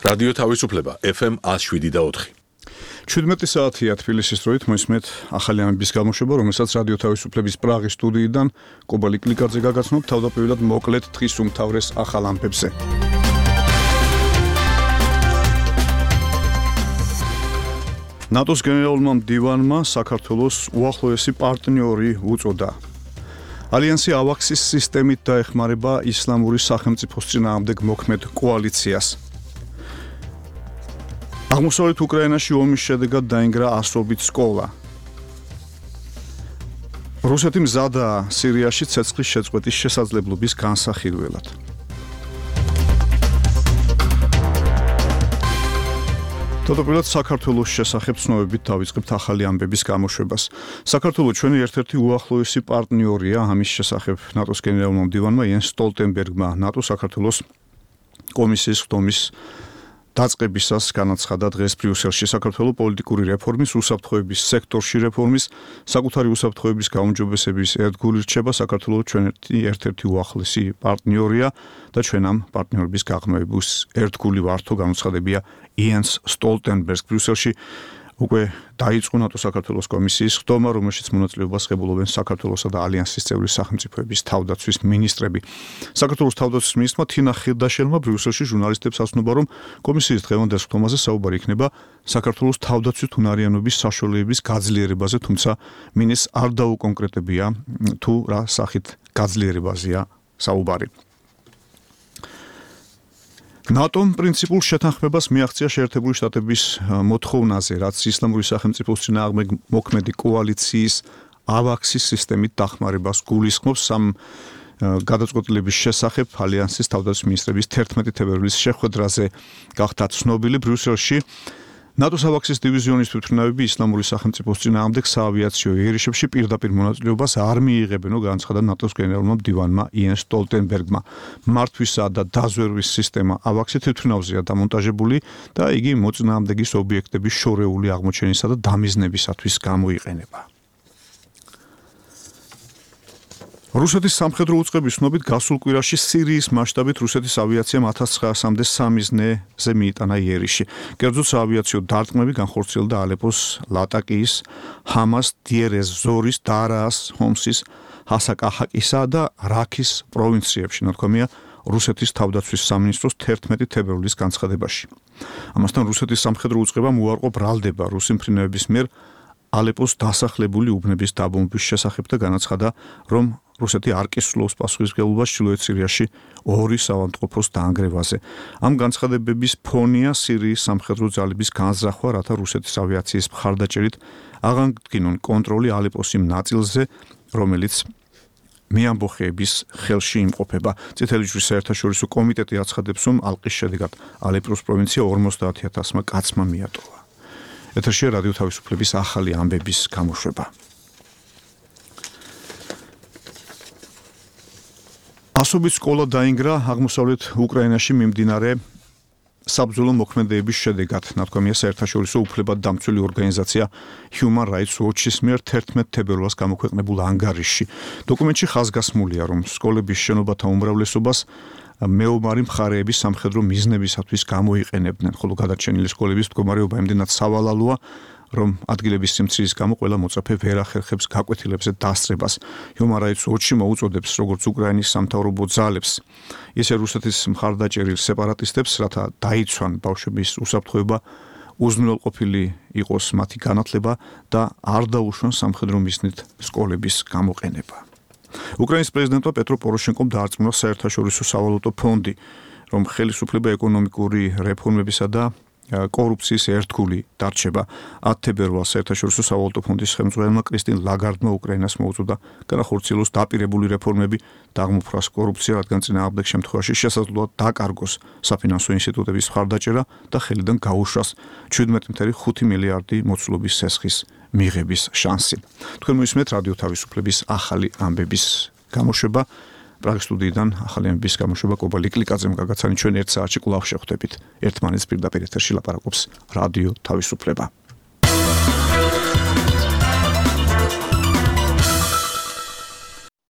რადიო თავისუფლება FM 107.4. 17 საათია თბილისის დროით მოისმენთ ახალი ამბების გამოშვება, რომელსაც რადიო თავისუფლების პრაღის სტუდიიდან კობალი კლიკაძე გაგაცნობ თავდაპირველად მოკლედ დღის უმთავრეს ახალ ამბებზე. ნატოს გენერალურმა მდივანმა საქართველოს უახლოესი პარტნიორი უწოდა. ალიანსი ავაქსის სისტემით დაეხმარება ისლამური სახელმწიფოს წინააღმდეგ მოქმედ კოალიციას. აღმოსავლეთ უკრაინაში ომის შედეგად დაინგრა ასობით სკოლა. რუსეთი მზადაა სირიაში ცეცხლის შეწყვეტის შესაძლებლობის განსახილველად. თავდაპირველად საქართველოს შესახებ ცნობებით დავიწყებთ ახალი ამბების გამოშვებას. საქართველო ჩვენი ერთ-ერთი უახლოესი პარტნიორია, ამის შესახებ ნატოს გენერალურმა მდივანმა იენს სტოლტენბერგმა ნატო-საქართველოს კომისიის ხდომის დაწყებისას განაცხადა დღეს ბრიუსელში საქართველოს პოლიტიკური რეფორმის, უსაფრთხოების სექტორში რეფორმის, საკუთარი უსაფრთხოების გაუმჯობესების ერთგული რჩება საქართველოს ჩვენი ერთ-ერთი უახლესი პარტნიორია და ჩვენ ამ პარტნიორების გაღრმავების ერთგული ვართო განუცხადებია იენს სტოლტენბერგს. ბრიუსელში უკვე დაიწყო ნატო-საქართველოს კომისიის ხდომა, რომელშიც მონაწილეობას ღებულობენ საქართველოსა და ალიანსის წევრი სახელმწიფოების თავდაცვის მინისტრები. საქართველოს თავდაცვის მინისტრმა თინა ხილდაშელმა ბრიუსელში ჟურნალისტებს ასწნობა, რომ კომისიის დღევანდელ ხდომაზე საუბარი იქნება საქართველოს თავდაცვით უნარიანობის საშუალებების გაძლიერებაზე, თუმცა მინისტრს არ დაუკონკრეტებია თუ რა სახით გაძლიერებაზეა საუბარი. ნატომ პრინციპულ შეთანხმებას მიაღწია შეერთებული შტატების მოთხოვნაზე, რაც ისლამური სახელმწიფოს წინააღმდეგ მოქმედი კოალიციის ავაქსის სისტემით დახმარებას გულისხმობს. ამ გადაწყვეტილების შესახებ ალიანსის თავდაცვის მინისტრების 11 თებერვლის შეხვედრაზე გახდა ცნობილი ბრიუსელში. ნატოს ავაქსის დივიზიონის თვითმფრინავები ისლამური სახელმწიფოს წინააღმდეგ საავიაციო იერიშებში პირდაპირ მონაწილეობას არ მიიღებენო, განაცხადა ნატოს გენერალურმა მდივანმა იენს სტოლტენბერგმა. მართვისა და დაზვერვის სისტემა ავაქსი თვითმფრინავზეა დამონტაჟებული და იგი მოწინააღმდეგის ობიექტების შორეული აღმოჩენისა და დამიზნებისათვის გამოიყენება. რუსეთის სამხედრო უწყების ცნობით გასულ კვირაში სირიის მასშტაბით რუსეთის ავიაციამ 1900-მდე სამიზნეზე მიიტანა იერიში. კერძოდ საავიაციო დარტყმები განხორციელდა ალეპოს, ლატაკიის, ჰამას, დიერეს ზორის, დარაას, ჰომსის, ჰასაკაჰაკისა და რაქის პროვინციებში, ნათქვამია რუსეთის თავდაცვის სამინისტროს 11 თებერვლის განცხადებაში. ამასთან რუსეთის სამხედრო უწყებამ უარყო ბრალდება რუსი მფრინავების მიერ ალეპოს დასახლებული უბნების დაბომბვის შესახებ და განაცხადა, რომ რუსეთი არ კისრულობს პასუხისმგებლობას ჩრდილოეთ სირიაში ორი საავადმყოფოს დაანგრევაზე. ამ განცხადებების ფონია სირიის სამხედრო ძალების განზრახვა, რათა რუსეთის ავიაციის მხარდაჭერით აღადგინონ კონტროლი ალეპოს იმ ნაწილზე, რომელიც მეამბოხეების ხელში იმყოფება. წითელი ჯვრის საერთაშორისო კომიტეტი აცხადებს, რომ ალყის შედეგად ალეპოს პროვინცია 50,000 კაცმა მიატოვა. ეთერშია რადიო თავისუფლების ახალი ამბების გამოშვება. ასობით სკოლა დაინგრა აღმოსავლეთ უკრაინაში მიმდინარე საბრძოლო მოქმედებების შედეგად, ნათქვამია საერთაშორისო უფლებადამცველი ორგანიზაცია Human Rights Watch-ის მიერ 11 თებერვალს გამოქვეყნებულ ანგარიშში. დოკუმენტში ხაზგასმულია, რომ სკოლების შენობათა უმრავლესობას მეომარი მხარეების სამხედრო მიზნებისათვის გამოიყენებდნენ, ხოლო გადარჩენილი სკოლების მდგომარეობა იმდენად სავალალოა, რომ ადგილების სიმცირის გამო ყველა მოწაფე ვერ ახერხებს გაკვეთილებზე დასწრებას. Human Rights Watch მოუწოდებს როგორც უკრაინის სამთავრობო ძალებს, ისე რუსეთის მხარდაჭერილ სეპარატისტებს, რათა დაიცვან ბავშვების უსაფრთხოება, უზრუნველყოფილი იყოს მათი განათლება და არ დაუშვან სამხედრო მიზნით სკოლების გამოყენება. უკრაინის პრეზიდენტმა პეტრო პოროშენკომ დაარწმუნა საერთაშორისო სავალუტო ფონდი, რომ ხელისუფლება ეკონომიკური რეფორმებისა და კორუფციის ერთგული დარჩება. 10 თებერვალს საერთაშორისო სავალუტო ფონდის ხელმძღვანელმა კრისტინ ლაგარდმა უკრაინას მოუწოდა განახორციელოს დაპირებული რეფორმები და აღმოფხვრას კორუფცია, რადგან წინააღმდეგ შემთხვევაში შესაძლოა დაკარგოს საფინანსო ინსტიტუტების მხარდაჭერა და ხელიდან გაუშვას 17.5 მილიარდი მოცულობის სესხის მიღების შანსი. თქვენ მოისმენთ რადიო თავისუფლების ახალი ამბების გამოშვება. პრაღის სტუდიიდან ახალი ამბების გამოშვება კობალი კლიკაძემ გაგაცანი. ჩვენ 1 საათში კვლავ შევხვდებით. ერთმანეთს პირდაპირ ეთერში ლაპარაკობს რადიო თავისუფლება.